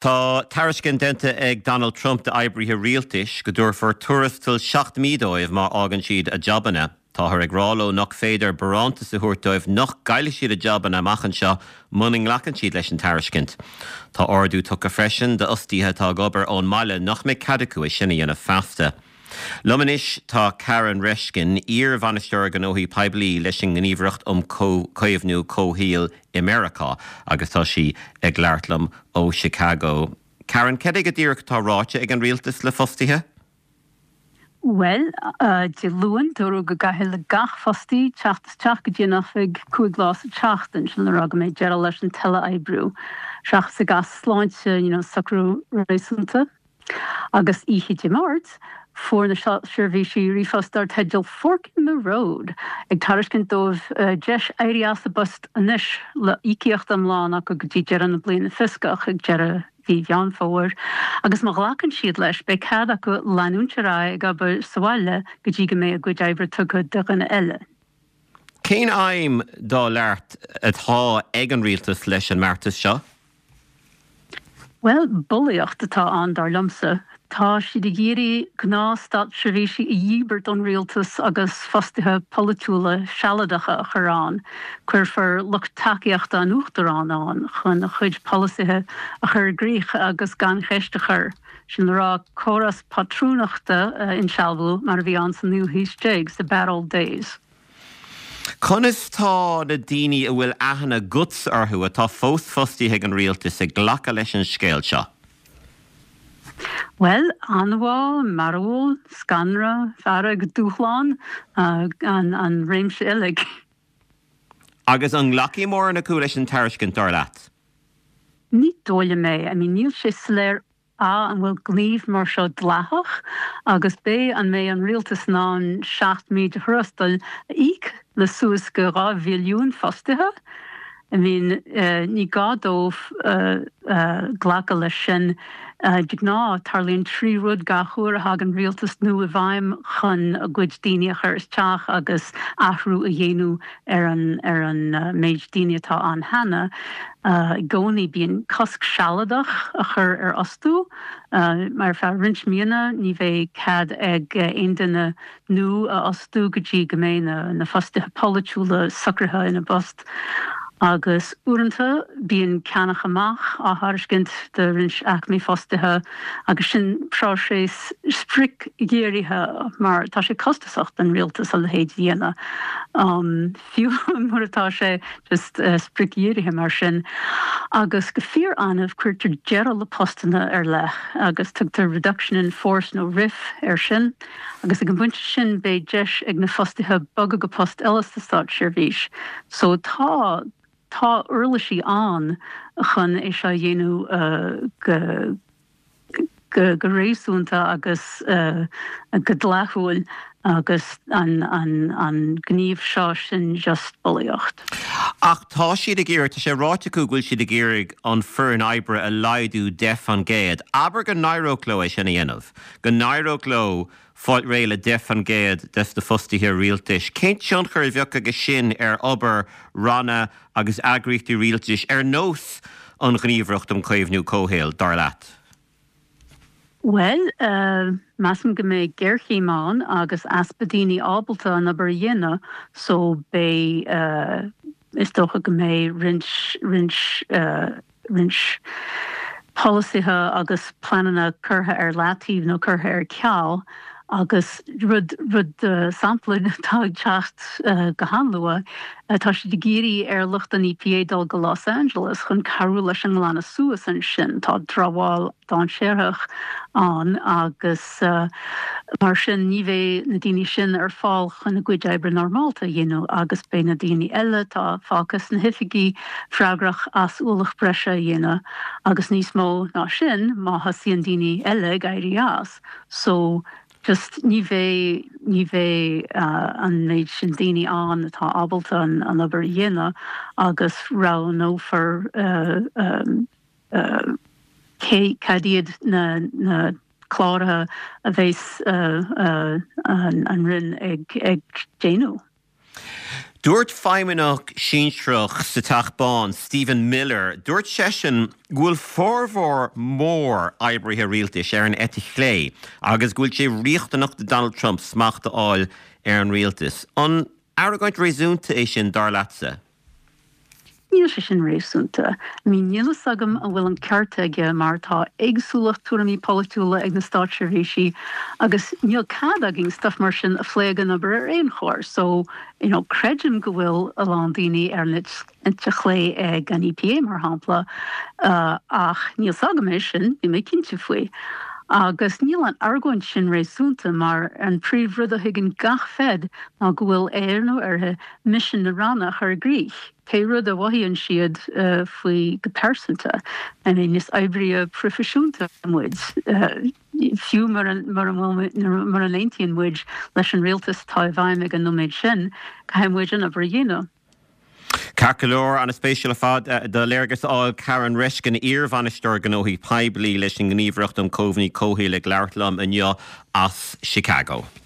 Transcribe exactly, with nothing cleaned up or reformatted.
Tá tairiscint déanta ag Donald Trump d'oibrithe rialtais go dtabharfar tuarastal seacht mí dóibh má fhágann siad a jabanna. Táthar ag rá leo nach féidir barántas a thabhairt dóibh nach gcaillfidh siad a jabanna amach anseo muna nglacann siad leis an tairiscint. Tá ordú tugtha freisin d'fhostaithe atá ag obair ón mbaile nach mbeidh cead acu é sin a dhéanamh feasta. Liom anois tá Karen Reiskin, iar-bhainisteoir gnóthaí poiblí leis an nGníomhaireacht um Chaomhnú Comhshaoil i Meiriceá agus tá sí ag labhairt liom ó Chicago. Karen, cad é go díreach atá ráite ag an rialtas le fostaithe? Well, uh, Dé Luain dúradh go gcaithfidh le gach fostaí teacht isteach go dtí an oifig cúig lá sa tseachtain sin le rá go mbeidh deireadh leis an teilea-oibriú. Seachas i gcás sláinte you know, socrú réasúnta. Agus oíche Dé Máirt, fuair na seirbhísí ríomhphost dar teideal Fork in the Road ag tairiscint dóibh uh, deis éirí as a bpost anois le íocaíocht iomlán acu go dtí deireadh na bliana fioscach ag deireadh mhí Mheán Fómhair, agus má ghlacann siad leis beidh cead acu leanúint ar aghaidh ag obair sa bhaile go dtí go mbeidh a gcuid oibre tugtha do dhuine eile. Cén aidhm dar leat atá ag an rialtas leis an mbeartas seo? Well, bulaíocht atá ann dar liomsa. Tá siad ag iarraidh gnáth-státseirbhísigh a dhíbirt ón rialtas agus fostaithe polaitiúla sealadacha a chur ann. Cuirfear lucht tacaíochta an uachtaráin ann chun a chuid polasaithe a chur i gcrích agus gan cheist a chur. Sin le rá córas pátrúnachta a insealbhú mar a bhí ann sa naoú haois déag sa bad old days. Conas tá na daoine a bhfuil aithne agat orthu atá fós fostaithe ag an rialtas ag glacadh leis an scéal seo. Well, anbhá, mearbhall, scanradh, fearg, dúshlán uh, an, an réimse uilig. Agus an nglacfaidh mórán acu leis an tairiscint dar leat. Ní dóigh liom é, I mean, níl sé soiléir A an bhfuil gníomh mar seo dleathach agus B an mbeidh an rialtas in ann seacht mí de thuarastal a íoc le suas go dhá mhilliún fostaithe. I mean, uh, ní gá dóibh uh, uh, glacadh leis sin uh, de ghnáth tarlaíonn trí rud gach uair a thagann rialtas nua i bhfeidhm chun a gcuid daoine a chur isteach agus athrú a dhéanamh ar an ar an uh, méid daoine atá ann cheana. Uh, I gcónaí bíonn cosc sealadach a chur ar fhostú, uh, mar feadh roinnt míonna ní bheidh cead ag uh, aon duine nua a fhostú go dtí go mbeidh na, na fostaithe polaitiúla socraithe ina bpost. Agus uaireanta bíonn ceannach amach á thairiscint do roinnt aicmí fostaithe agus sin próiseas spriocdhírithe mar tá sé costasach don rialtas a leithéid a dhéanamh. Um, fiú mar atá sé just uh, spriocdhírithe mar sin. Agus go fíor-annamh cuirtear deireadh le postanna ar leith agus tugtar reduction in force nó RIF ar sin, agus ag an bpointe sin beidh deis ag na fostaithe bogadh go post eile sa státseirbhís. So tá tá uirlisí ann chun é seo a dhéanamh uh, go go, go réasúnta agus uh, go dleathúil agus an, an, an gníomh seo sin just bulaíocht. Ach tá siad ag iarraidh tá sé ráite acu go bhfuil siad ag iarraidh an foireann oibre a laghdú deich faoin gcéad. Abair go n-éireodh leo é sin a dhéanamh, go n-éireodh leo fáil réidh le deich faoin gcéad des na fostaithe rialtais. Cén tionchar a bheadh aige sin ar obair ranna agus eagraíochtaí rialtais ar nós an Ghníomhaireacht um Chaomhnú Comhshaoil dar leat? Well, uh, measaim go mbeidh géarchéim ann agus easpa daoine ábalta an obair a dhéanamh, so beidh uh, is dócha go mbeidh roinnt roinnt uh, roinnt polasaithe agus pleananna curtha ar leataobh nó curtha ar ceal agus rud rud uh, sampla atá ag teacht uh, go han-luath uh, tá siad ag iarraidh ar lucht an EPA dul go Los Angeles chun cabhrú leis an nglanadh suas ansin tá dramhaíl dainséarach ann agus uh, mar sin ní bheidh na daoine sin ar fáil chun a gcuid oibre normálta a dhéanamh agus beidh na daoine eile atá fágtha sna hoifigí freagrach as ualach breise a dhéanamh agus níos mó ná sin má thosaíonn daoine eile ag éirí as so just ní bheidh ní bheidh uh, an méid sin daoine ann atá ábalta an, an obair a dhéanamh agus roghnófar uh, um, uh, cé cad iad na, na cláracha a bheas uh, uh, an, an Roinn ag, ag déanamh. Dúirt feidhmeannach sinsearach sa Teach Bán Stephen Miller, dúirt seisean go bhfuil formhór mór oibrithe rialtais ar an eite chlé agus go bhfuil sé riachtanach do Donald Trump smacht a fháil ar an rialtas. An argóint réasúnta é sin dar leatsa? Níl sé sin réasúnta. I mean níl a fhios agam an bhfuil an ceart aige mar tá éagsúlacht tuairimí polaitiúla ag na státseirbhísí agus níl cead againn stuff mar sin a phlé ag an obair ar aon chor. So you know, creidim go bhfuil a lán daoine ar an eite chlé ag an EPA mar shampla uh, ach níl a fhios agam é sin níl mé cinnte faoi. Agus níl an argóint sin réasúnta mar an príomhrud a thuigeann gach fed ná go bhfuil air nó uirthi misean na ranna a chur i gcrích. Pé rud a mhothaíonn siad uh, faoi go pearsanta I mean, is oibrithe proifisiúnta muid. Uh, fiú mar mar mura n-aontaíonn muid leis an rialtas atá i bhfeidhm ag an nóiméad sin, caithfidh muid an obair a dhéanamh. Ceart go leor an-spéisiúil ar fad do léargas a fháil Karen Reiskin iarbhainisteoir gnóthaí poiblí leis an nGníomhaireacht um Chaomhnú Comhshaoil ag labhairt liom inniu as Chicago.